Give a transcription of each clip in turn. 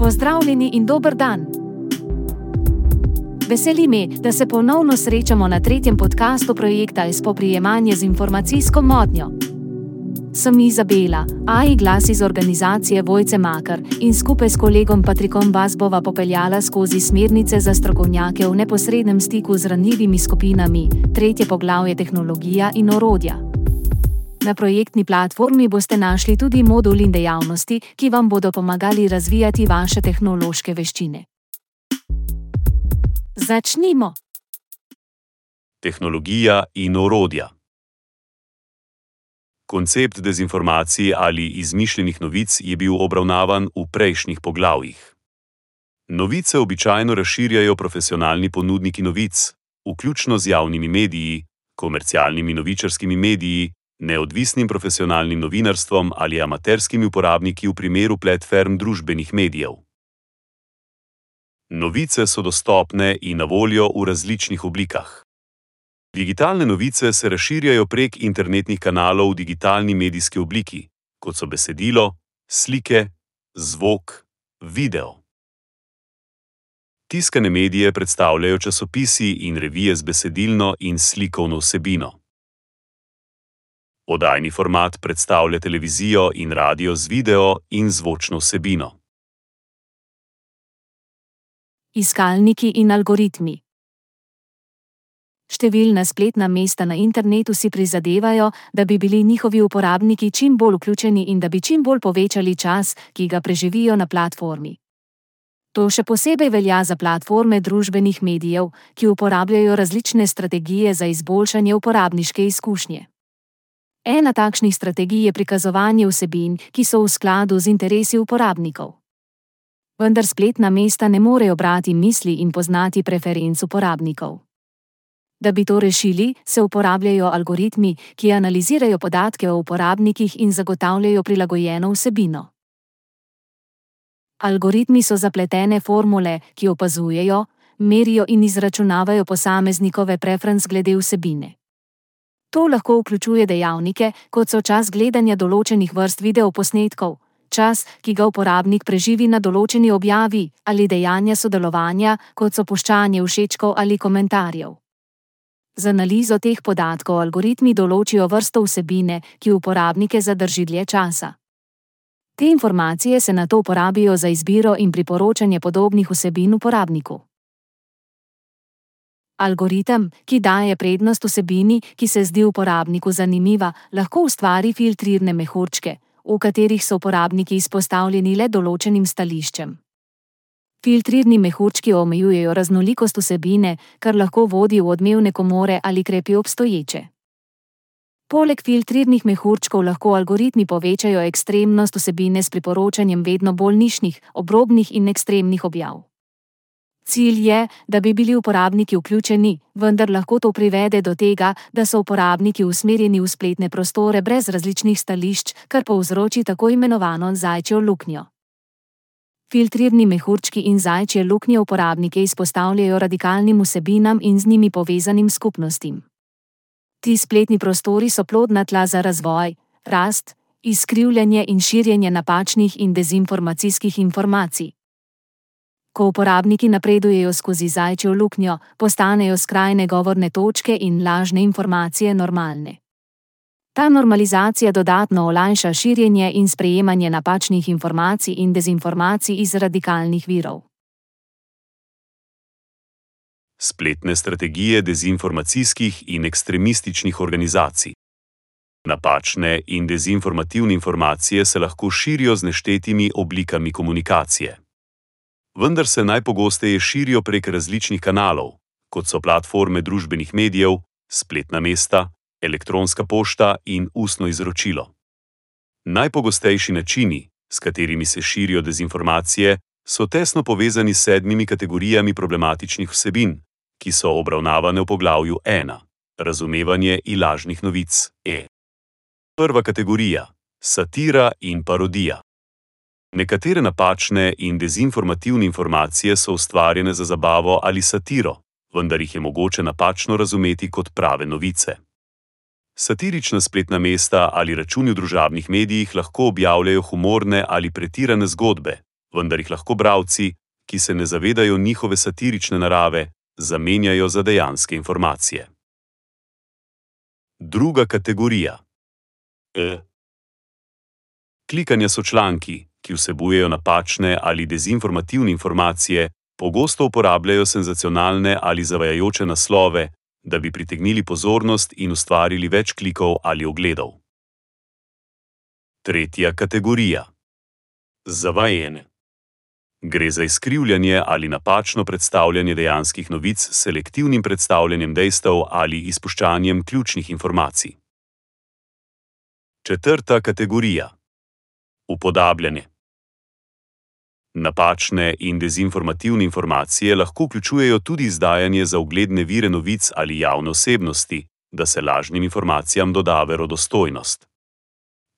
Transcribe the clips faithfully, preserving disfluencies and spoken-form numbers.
Pozdravljeni in dober dan! Veseli me, da se ponovno srečamo na tretjem podcastu projekta Spoprijemanje z informacijsko motnjo. Sem Izabela, A I glas iz organizacije Vojce Makar in skupaj s kolegom Patrikom vas bova popeljala skozi smernice za strokovnjake v neposrednem stiku z ranljivimi skupinami, tretje poglavje tehnologija in orodja. Na projektni platformi boste našli tudi modul in dejavnosti, ki vam bodo pomagali razvijati vaše tehnološke veščine. Začnimo! Tehnologija in orodja. Koncept dezinformacij ali izmišljenih novic je bil obravnavan v prejšnjih poglavjih. Novice običajno razširjajo profesionalni ponudniki novic, vključno z javnimi mediji, komercialnimi novičarskimi mediji, neodvisnim profesionalnim novinarstvom ali amaterskimi uporabniki v primeru platform družbenih medijev. Novice so dostopne in na voljo v različnih oblikah. Digitalne novice se razširjajo prek internetnih kanalov v digitalni medijski obliki, kot so besedilo, slike, zvok, video. Tiskane medije predstavljajo časopisi in revije z besedilno in slikovno vsebino. Oddajni format predstavlja televizijo in radio z video in zvočno vsebino. Iskalniki in algoritmi. Številna spletna mesta na internetu si prizadevajo, da bi bili njihovi uporabniki čim bolj vključeni in da bi čim bolj povečali čas, ki ga preživijo na platformi. To še posebej velja za platforme družbenih medijev, ki uporabljajo različne strategije za izboljšanje uporabniške izkušnje. Ena takšnih strategij je prikazovanje vsebin, ki so v skladu z interesi uporabnikov. Vendar spletna mesta ne morejo brati misli in poznati preferenc uporabnikov. Da bi to rešili, se uporabljajo algoritmi, ki analizirajo podatke o uporabnikih in zagotavljajo prilagojeno vsebino. Algoritmi so zapletene formule, ki opazujejo, merijo in izračunavajo posameznikove preference glede vsebine. To lahko vključuje dejavnike, kot so čas gledanja določenih vrst videoposnetkov, čas, ki ga uporabnik preživi na določeni objavi, ali dejanja sodelovanja, kot so puščanje všečkov ali komentarjev. Z analizo teh podatkov algoritmi določijo vrsto vsebine, ki uporabnike zadrži dlje časa. Te informacije se nato uporabijo za izbiro in priporočanje podobnih vsebin uporabniku. Algoritem, ki daje prednost vsebini, ki se zdi uporabniku zanimiva, lahko ustvari filtrirne mehurčke, v katerih so uporabniki izpostavljeni le določenim stališčem. Filtrirni mehurčki omejujejo raznolikost vsebine, kar lahko vodi v odmevne komore ali krepi obstoječe. Poleg filtrirnih mehurčkov lahko algoritmi povečajo ekstremnost vsebine s priporočanjem vedno bolj nišnih, obrobnih in ekstremnih objav. Cilj je, da bi bili uporabniki vključeni, vendar lahko to privede do tega, da so uporabniki usmerjeni v spletne prostore brez različnih stališč, kar povzroči tako imenovano zajčjo luknjo. Filtrirni mehurčki in zajčje luknje uporabnike izpostavljajo radikalnim vsebinam in z njimi povezanim skupnostim. Ti spletni prostori so plodna tla za razvoj, rast, izkrivljanje in širjenje napačnih in dezinformacijskih informacij. Ko uporabniki napredujejo skozi zajčjo luknjo, postanejo skrajne govorne točke in lažne informacije normalne. Ta normalizacija dodatno olajša širjenje in sprejemanje napačnih informacij in dezinformacij iz radikalnih virov. Spletne strategije dezinformacijskih in ekstremističnih organizacij. Napačne in dezinformativne informacije se lahko širijo z neštetimi oblikami komunikacije. Vendar se najpogosteje širijo prek različnih kanalov, kot so platforme družbenih medijev, spletna mesta, elektronska pošta in ustno izročilo. Najpogostejši načini, s katerimi se širijo dezinformacije, so tesno povezani s sedmimi kategorijami problematičnih vsebin, ki so obravnavane v poglavju ena. Razumevanje in lažnih novic. E. Prva kategorija. Satira in parodija. Nekatere napačne in dezinformativne informacije so ustvarjene za zabavo ali satiro, vendar jih je mogoče napačno razumeti kot prave novice. Satirična spletna mesta ali računi v družabnih medijih lahko objavljajo humorne ali pretirane zgodbe, vendar jih lahko bralci, ki se ne zavedajo njihove satirične narave, zamenjajo za dejanske informacije. Druga kategorija. E. Klikanja so članki, ki vsebujejo napačne ali dezinformativne informacije, pogosto uporabljajo senzacionalne ali zavajajoče naslove, da bi pritegnili pozornost in ustvarili več klikov ali ogledov. Tretja kategorija. Zavajanje. Gre za izkrivljanje ali napačno predstavljanje dejanskih novic s selektivnim predstavljanjem dejstev ali izpuščanjem ključnih informacij. Četrta kategorija. Upodabljanje. Napačne in dezinformativne informacije lahko vključujejo tudi izdajanje za ugledne vire novic ali javne osebnosti, da se lažnim informacijam doda verodostojnost.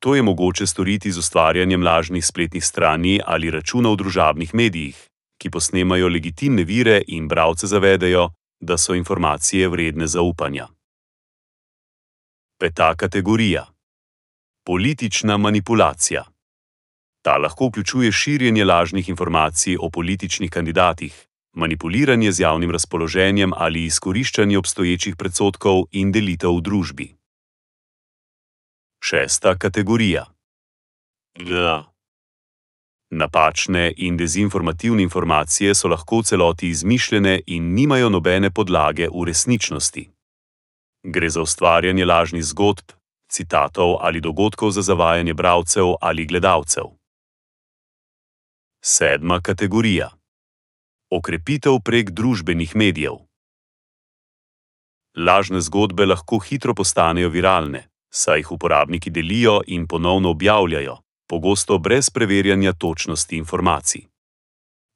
To je mogoče storiti z ustvarjanjem lažnih spletnih strani ali računov v družabnih medijih, ki posnemajo legitimne vire in bralce zavedejo, da so informacije vredne zaupanja. Peta kategorija. Politična manipulacija. Ta lahko vključuje širjenje lažnih informacij o političnih kandidatih, manipuliranje z javnim razpoloženjem ali izkoriščanje obstoječih predsodkov in delitev v družbi. Šesta kategorija. Ja. Napačne in dezinformativne informacije so lahko v celoti izmišljene in nimajo nobene podlage v resničnosti. Gre za ustvarjanje lažnih zgodb, citatov ali dogodkov za zavajanje bralcev ali gledalcev. Sedma kategorija. Okrepitev prek družbenih medijev. Lažne zgodbe lahko hitro postanejo viralne, saj jih uporabniki delijo in ponovno objavljajo, pogosto brez preverjanja točnosti informacij.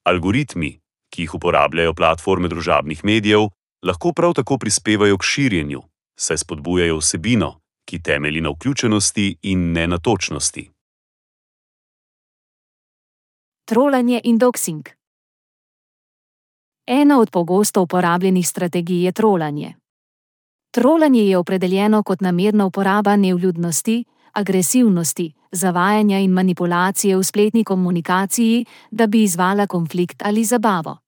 Algoritmi, ki jih uporabljajo platforme družabnih medijev, lahko prav tako prispevajo k širjenju, saj spodbujajo vsebino, ki temelji na vključenosti in ne na točnosti. Trolanje in doxing. Ena od pogosto uporabljenih strategij je trolanje. Trolanje je opredeljeno kot namerna uporaba nevljudnosti, agresivnosti, zavajanja in manipulacije v spletni komunikaciji, da bi izvala konflikt ali zabavo.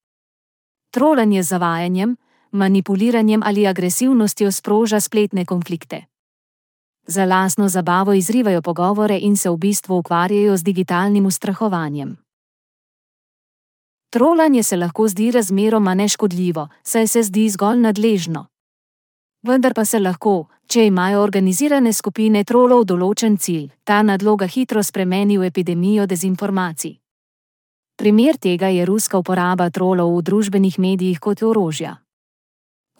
Trolanje z zavajanjem, manipuliranjem ali agresivnostjo sproža spletne konflikte. Za lastno zabavo izrivajo pogovore in se v bistvu ukvarjajo z digitalnim ustrahovanjem. Trolanje se lahko zdi razmeroma neškodljivo, saj se zdi zgolj nadležno. Vendar pa se lahko, če imajo organizirane skupine trolov določen cilj, ta nadloga hitro spremeni v epidemijo dezinformacij. Primer tega je ruska uporaba trolov v družbenih medijih kot orožja.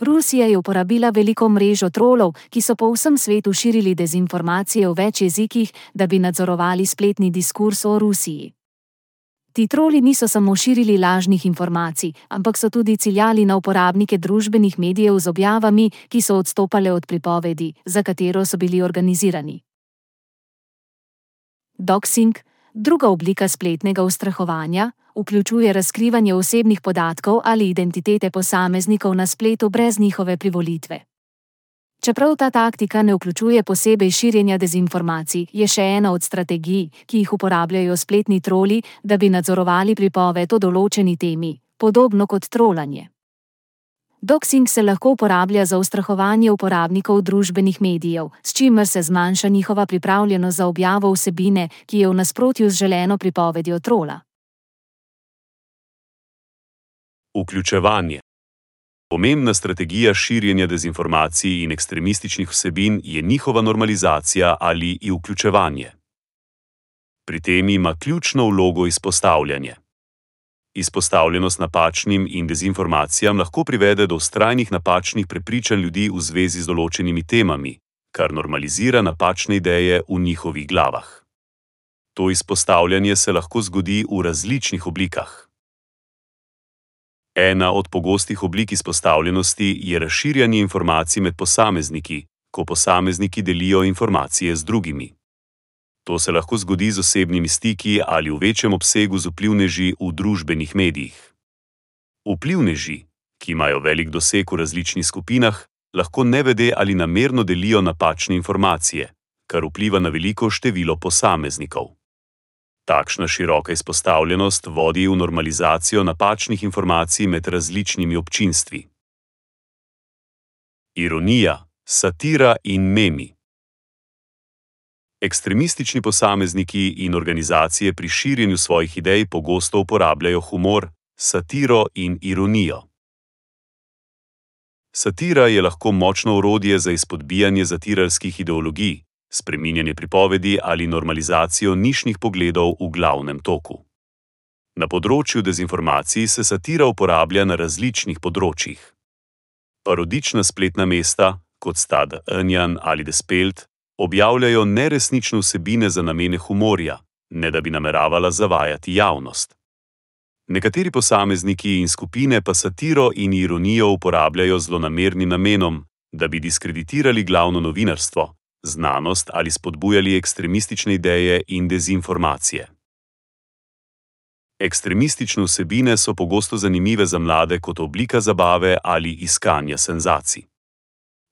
Rusija je uporabila veliko mrežo trolov, ki so po vsem svetu širili dezinformacije v več jezikih, da bi nadzorovali spletni diskurs o Rusiji. Ti troli niso samo širili lažnih informacij, ampak so tudi ciljali na uporabnike družbenih medijev z objavami, ki so odstopale od pripovedi, za katero so bili organizirani. Doxing, druga oblika spletnega ustrahovanja, vključuje razkrivanje osebnih podatkov ali identitete posameznikov na spletu brez njihove privolitve. Čeprav ta taktika ne vključuje posebej širjenja dezinformacij, je še ena od strategij, ki jih uporabljajo spletni troli, da bi nadzorovali pripoved o določeni temi, podobno kot trolanje. Doxing se lahko uporablja za ustrahovanje uporabnikov družbenih medijev, s čimer se zmanjša njihova pripravljenost za objavo vsebine, ki je v nasprotju z želeno pripovedjo trola. Vključevanje. Pomembna strategija širjenja dezinformacij in ekstremističnih vsebin je njihova normalizacija ali vključevanje. Pri tem ima ključno vlogo izpostavljanje. Izpostavljenost napačnim in dezinformacijam lahko privede do vztrajnih napačnih prepričanj ljudi v zvezi z določenimi temami, kar normalizira napačne ideje v njihovih glavah. To izpostavljanje se lahko zgodi v različnih oblikah. Ena od pogostih oblik izpostavljenosti je razširjanje informacij med posamezniki, ko posamezniki delijo informacije z drugimi. To se lahko zgodi z osebnimi stiki ali v večjem obsegu z vplivneži v družbenih medijih. Vplivneži, ki imajo velik doseg v različnih skupinah, lahko nevede ali namerno delijo napačne informacije, kar vpliva na veliko število posameznikov. Takšna široka izpostavljenost vodi v normalizacijo napačnih informacij med različnimi občinstvi. Ironija, satira in memi. Ekstremistični posamezniki in organizacije pri širjenju svojih idej pogosto uporabljajo humor, satiro in ironijo. Satira je lahko močno orodje za izpodbijanje zatiralskih ideologij, spreminjanje pripovedi ali normalizacijo nišnih pogledov v glavnem toku. Na področju dezinformacij se satira uporablja na različnih področjih. Parodična spletna mesta, kot sta The Onion ali The Spelt, objavljajo neresnične vsebine za namene humorja, ne da bi nameravala zavajati javnost. Nekateri posamezniki in skupine pa satiro in ironijo uporabljajo z zlonamernim namenom, da bi diskreditirali glavno novinarstvo, znanost ali spodbujali ekstremistične ideje in dezinformacije. Ekstremistične vsebine so pogosto zanimive za mlade kot oblika zabave ali iskanja senzacij.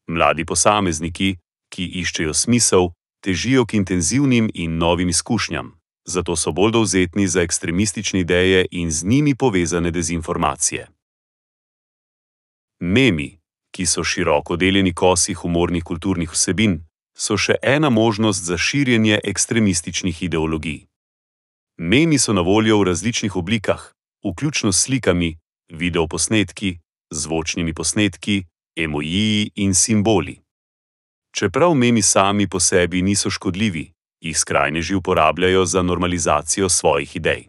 Mladi posamezniki, ki iščejo smisel, težijo k intenzivnim in novim izkušnjam, zato so bolj dovzetni za ekstremistične ideje in z njimi povezane dezinformacije. Memi, ki so široko deljeni kosi humornih kulturnih vsebin, so še ena možnost za širjenje ekstremističnih ideologij. Memi so na voljo v različnih oblikah, vključno s slikami, videoposnetki, zvočnimi posnetki, emojiji in simboli. Čeprav memi sami po sebi niso škodljivi, jih skrajneži uporabljajo za normalizacijo svojih idej.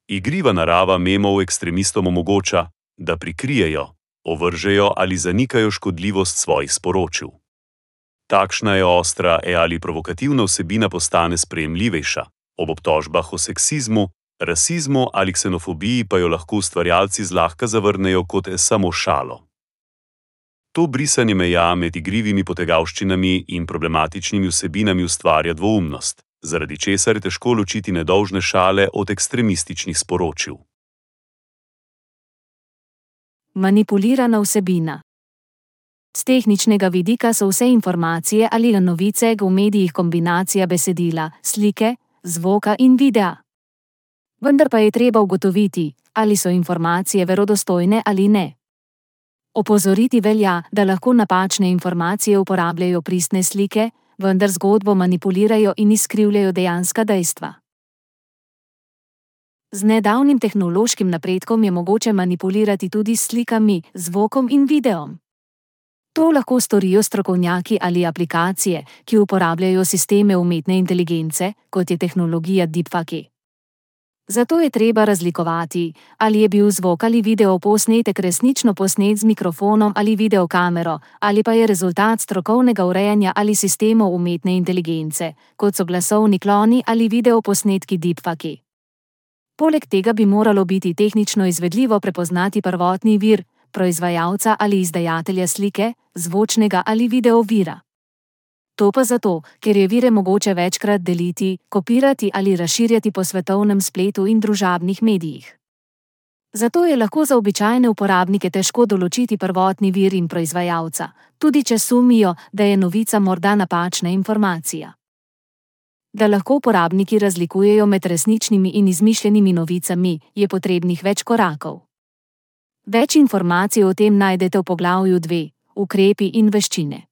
Igriva narava memov ekstremistom omogoča, da prikrijejo, ovržejo ali zanikajo škodljivost svojih sporočil. Takšna je ostra e ali provokativna vsebina postane sprejemljivejša, ob obtožbah o seksizmu, rasizmu ali ksenofobiji pa jo lahko ustvarjalci zlahka zavrnejo kot samo šalo. To brisanje meja med igrivimi potegavščinami in problematičnimi vsebinami ustvarja dvoumnost, zaradi česar je težko ločiti nedolžne šale od ekstremističnih sporočil. Manipulirana vsebina. Z tehničnega vidika so vse informacije ali novice v medijih kombinacija besedila, slike, zvoka in videa. Vendar pa je treba ugotoviti, ali so informacije verodostojne ali ne. Opozoriti velja, da lahko napačne informacije uporabljajo pristne slike, vendar zgodbo manipulirajo in izkrivljajo dejanska dejstva. Z nedavnim tehnološkim napredkom je mogoče manipulirati tudi s slikami, zvokom in videom. To lahko storijo strokovnjaki ali aplikacije, ki uporabljajo sisteme umetne inteligence, kot je tehnologija deepfake. Zato je treba razlikovati, ali je bil zvok ali video posnetek resnično posnet z mikrofonom ali videokamero, ali pa je rezultat strokovnega urejanja ali sistemov umetne inteligence, kot so glasovni kloni ali videoposnetki deepfake. Poleg tega bi moralo biti tehnično izvedljivo prepoznati prvotni vir, proizvajalca ali izdajatelja slike, zvočnega ali video vira. To pa zato, ker je vire mogoče večkrat deliti, kopirati ali razširjati po svetovnem spletu in družabnih medijih. Zato je lahko za običajne uporabnike težko določiti prvotni vir in proizvajalca, tudi če sumijo, da je novica morda napačna informacija. Da lahko uporabniki razlikujejo med resničnimi in izmišljenimi novicami, je potrebnih več korakov. Več informacij o tem najdete v poglavju dve, ukrepi in veščine.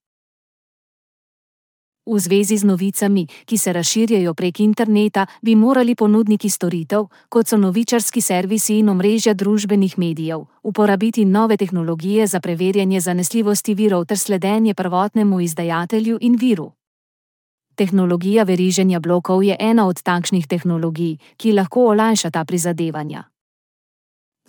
V zvezi z novicami, ki se razširjajo prek interneta, bi morali ponudniki storitev, kot so novičarski servisi in omrežja družbenih medijev, uporabiti nove tehnologije za preverjanje zanesljivosti virov ter sledenje prvotnemu izdajatelju in viru. Tehnologija veriženja blokov je ena od takšnih tehnologij, ki lahko olajša ta prizadevanja.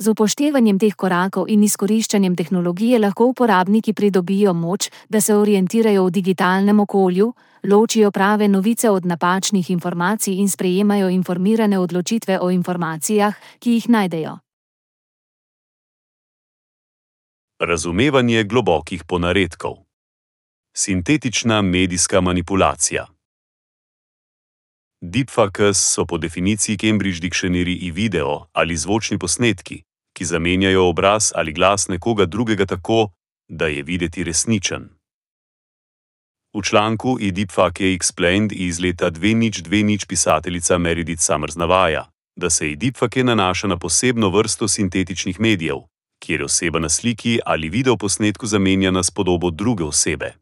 Z upoštevanjem teh korakov in izkoriščanjem tehnologije lahko uporabniki pridobijo moč, da se orientirajo v digitalnem okolju, ločijo prave novice od napačnih informacij in sprejemajo informirane odločitve o informacijah, ki jih najdejo. Razumevanje globokih ponaredkov. Sintetična medijska manipulacija. Deepfakes so po definiciji Cambridge Dictionary video ali zvočni posnetki, ki zamenjajo obraz ali glas nekoga drugega tako, da je videti resničen. V članku i Deepfake Explained iz leta dve tisoč dvajset pisateljica Meredith Summers navaja, da se i deepfake nanaša na posebno vrsto sintetičnih medijev, kjer oseba na sliki ali videoposnetku zamenjana s podobo druge osebe.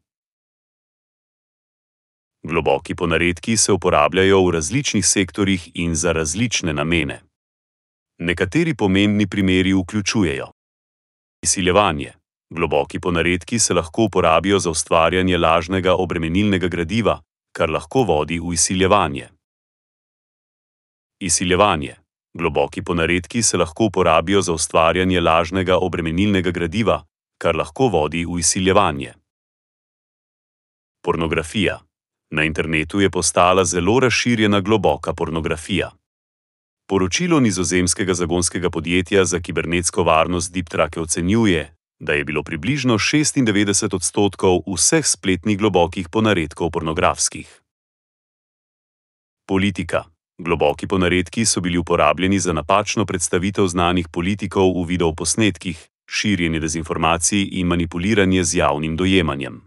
Globoki ponaredki se uporabljajo v različnih sektorjih in za različne namene. Nekateri pomembni primeri vključujejo izsiljevanje. Globoki ponaredki se lahko uporabijo za ustvarjanje lažnega obremenilnega gradiva, kar lahko vodi v izsiljevanje. Izsiljevanje. Globoki ponaredki se lahko uporabijo za ustvarjanje lažnega obremenilnega gradiva, kar lahko vodi v izsiljevanje. Pornografija. Na internetu je postala zelo razširjena globoka pornografija. Poročilo nizozemskega zagonskega podjetja za kibernetsko varnost DeepTrake ocenjuje, da je bilo približno šestindevetdeset odstotkov vseh spletnih globokih ponaredkov pornografskih. Politika. Globoki ponaredki so bili uporabljeni za napačno predstavitev znanih politikov v videoposnetkih, širjenje dezinformacij in manipuliranje z javnim dojemanjem.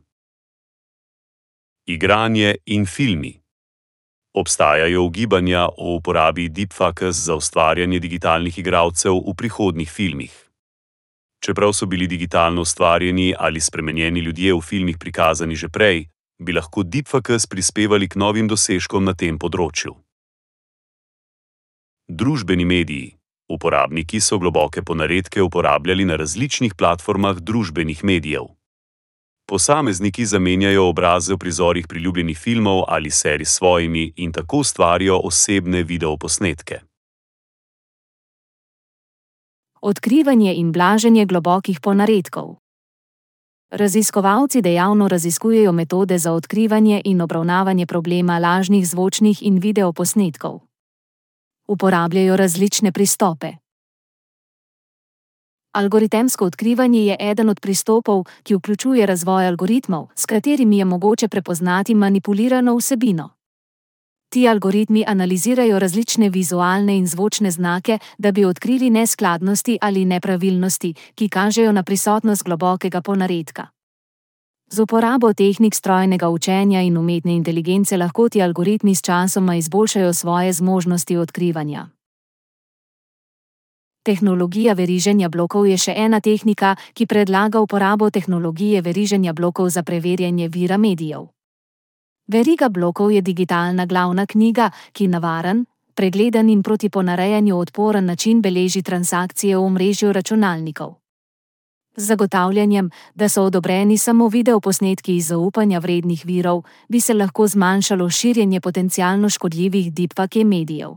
Igranje in filmi. Obstajajo ugibanja o uporabi deepfakes za ustvarjanje digitalnih igralcev v prihodnjih filmih. Čeprav so bili digitalno ustvarjeni ali spremenjeni ljudje v filmih prikazani že prej, bi lahko deepfakes prispevali k novim dosežkom na tem področju. Družbeni mediji. Uporabniki so globoke ponaredke uporabljali na različnih platformah družbenih medijev. Posamezniki zamenjajo obraze v prizorih priljubljenih filmov ali serij s svojimi in tako ustvarijo osebne videoposnetke. Odkrivanje in blaženje globokih ponaredkov. Raziskovalci dejavno raziskujejo metode za odkrivanje in obravnavanje problema lažnih zvočnih in videoposnetkov. Uporabljajo različne pristope. Algoritemsko odkrivanje je eden od pristopov, ki vključuje razvoj algoritmov, s katerimi je mogoče prepoznati manipulirano vsebino. Ti algoritmi analizirajo različne vizualne in zvočne znake, da bi odkrili neskladnosti ali nepravilnosti, ki kažejo na prisotnost globokega ponaredka. Z uporabo tehnik strojnega učenja in umetne inteligence lahko ti algoritmi s časoma izboljšajo svoje zmožnosti odkrivanja. Tehnologija veriženja blokov je še ena tehnika, ki predlaga uporabo tehnologije veriženja blokov za preverjanje vira medijev. Veriga blokov je digitalna glavna knjiga, ki na varen, pregleden in proti ponarejanju odporen način beleži transakcije v omrežju računalnikov. Z zagotavljanjem, da so odobreni samo videoposnetki iz zaupanja vrednih virov, bi se lahko zmanjšalo širjenje potencialno škodljivih deepfake medijev.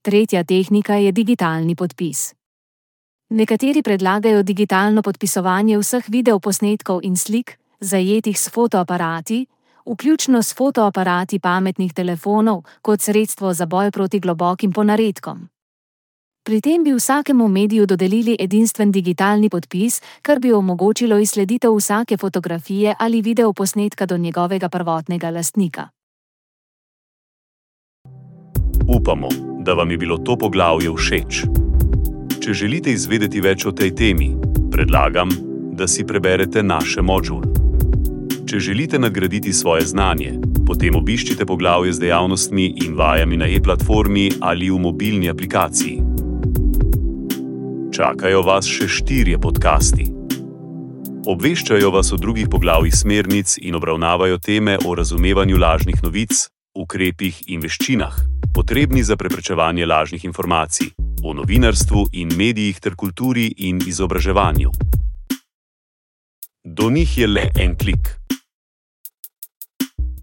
Tretja tehnika je digitalni podpis. Nekateri predlagajo digitalno podpisovanje vseh videoposnetkov in slik, zajetih s fotoaparati, vključno s fotoaparati pametnih telefonov, kot sredstvo za boj proti globokim ponaredkom. Pri tem bi vsakemu mediju dodelili edinstven digitalni podpis, kar bi omogočilo izsleditev vsake fotografije ali videoposnetka do njegovega prvotnega lastnika. Upamo, da vam je bilo to poglavje všeč. Če želite izvedeti več o tej temi, predlagam, da si preberete naše modul. Če želite nadgraditi svoje znanje, potem obiščite poglavje z dejavnostmi in vajami na e-platformi ali v mobilni aplikaciji. Čakajo vas še štirje podcasti. Obveščajo vas o drugih poglavjih smernic in obravnavajo teme o razumevanju lažnih novic, ukrepih in veščinah, potrebni za preprečevanje lažnih informacij, o novinarstvu in medijih ter kulturi in izobraževanju. Do njih je le en klik.